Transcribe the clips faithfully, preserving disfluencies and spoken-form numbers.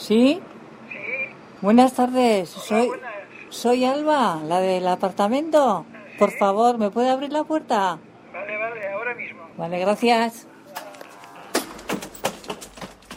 ¿Sí? Sí. Buenas tardes, soy, Hola, buenas. soy Alba, la del apartamento. Por favor, ¿me puede abrir la puerta? Vale, vale, ahora mismo. Vale, gracias.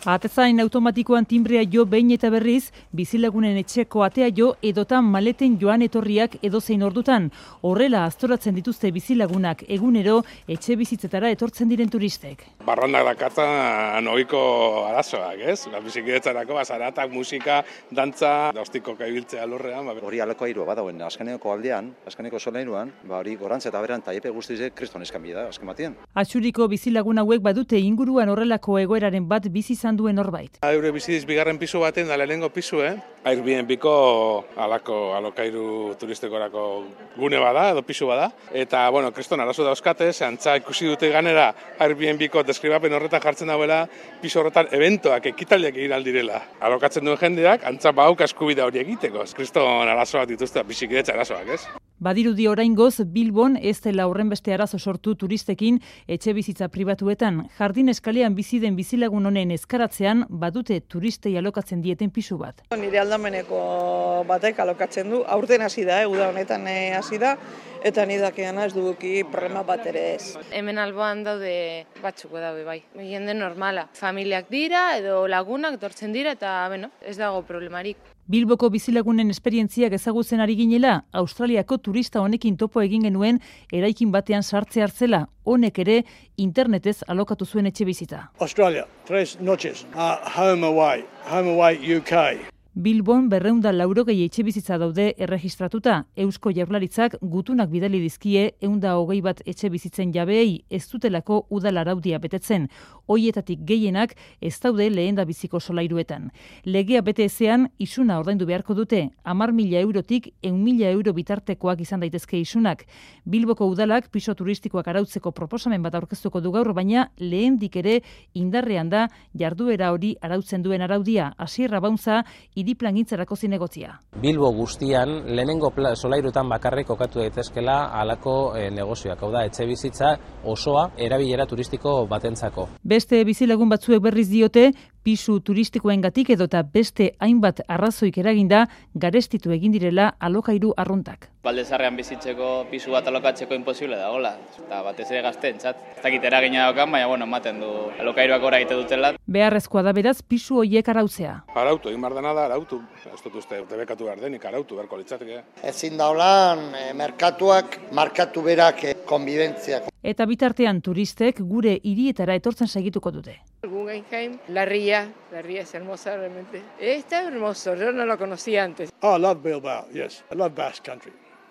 Atezain automatikoan timbrea jo behin eta berriz, bizilagunen etxeko atea jo edotan maleten joan etorriak edozein ordutan. Horrela aztoratzen dituzte bizilagunak egunero etxe bizitzetara etortzen diren turistek. Barrandak dakartzan ohiko arazoak, ez? Ba, bizikidetzarako, bazaratak, musika, dantza, ostikoka ibiltzea lurrean. Ba. Hori alokairua badauen, azkeneko aldean, azkeneko solairuan, ba hori gorantz eta beran taiepe guztize kriston eskanbi da, azken batean. Atxuriko bizilagun hauek badute inguruan horrelako egoeraren bat bizi izan duen norbait. Eure biziz bigarren pisu baten da lehenengo pisu, eh? Airbnbko alako alokairu turistikorako gune bada, edo pisu bada. Eta, bueno, kriston arazo dauzkate, ze antza ikusi dute ganera Airbnbko deskribapen horretan jartzen dauela, pisu horretan eventoak, ekitaldiak egin aldirela. Alokatzen duen jendeak, antza bauk eskubide hori egiteko. Kriston arazoak dituzte, bizikidetza arazoak, ez? Badirudi oraingoz Bilbon ez dela horrenbeste arazo sortu turistekin etxe bizitza pribatuetan. Jardin eskalean bizi den bizilagun honen eskaratzean badute turistei alokatzen dieten pisu bat. Nire aldameneko batek alokatzen du, aurten hasi da, eh, uda honetan hasi da, eta ni dakiana ez duguki problema bat ere ez. Hemen alboan daude batzuk daude bai. Jende normala. Familiak dira edo lagunak dortzen dira eta bueno, ez dago problemarik. Bilboko bizilagunen esperientziak ezagutzen ari ginela, Australiako turista honekin topo egin genuen eraikin batean sartze hartzela, honek ere internetez alokatu zuen etxe bizita. Australia, tres noches, uh, home away, home away U K. Bilbon berrehun eta laurogei etxe bizitza daude erregistratuta. Eusko Jaurlaritzak gutunak bidali dizkie ehun eta hogei bat etxe bizitzen jabeei ez dutelako udal araudia betetzen. Hoietatik gehienak ez daude lehendabiziko solairuetan. Legea bete ezean isuna ordaindu beharko dute, hamar mila eurotik ehun mila euro bitartekoak izan daitezke isunak. Bilboko udalak piso turistikoak arautzeko proposamen bat aurkeztuko du gaur, baina lehendik ere indarrean da jarduera hori arautzen duen araudia. Asier Abauntza iriplangintzarako zinegotzia. Bilbo guztian lehenengo solairutan bakarrik kokatu daitezkela halako e, negozioak, hau da etxe bizitza osoa erabilera turistiko batentzako. Beste bizilagun batzuek berriz diote, pisu turistikoengatik edota beste hainbat arrazoik eraginda garestitu egin direla alokairu arruntak. Baldezarrean bizitzeko pisu bat alokatzeko imposible dagoela, eta batez ere gazteentzat. Ez dakit eragina daukan, baina bueno, ematen du alokairuak gora egite dutela. Beharrezkoa da beraz pisu horiek arautzea. Arautu, egin behar dena da, arautu. Ez dut uste, debekatu behar denik, arautu beharko litzateke. Ezin daulan, e, merkatuak, markatu berak e, konbibentziak. Eta bitartean turistek gure hirietara etortzen segituko dute. Guggenheim, la ría, la ría es hermosa realmente. Está hermoso, yo no lo conocía antes. Oh, I love Bilbao, yes. I love Basque Country.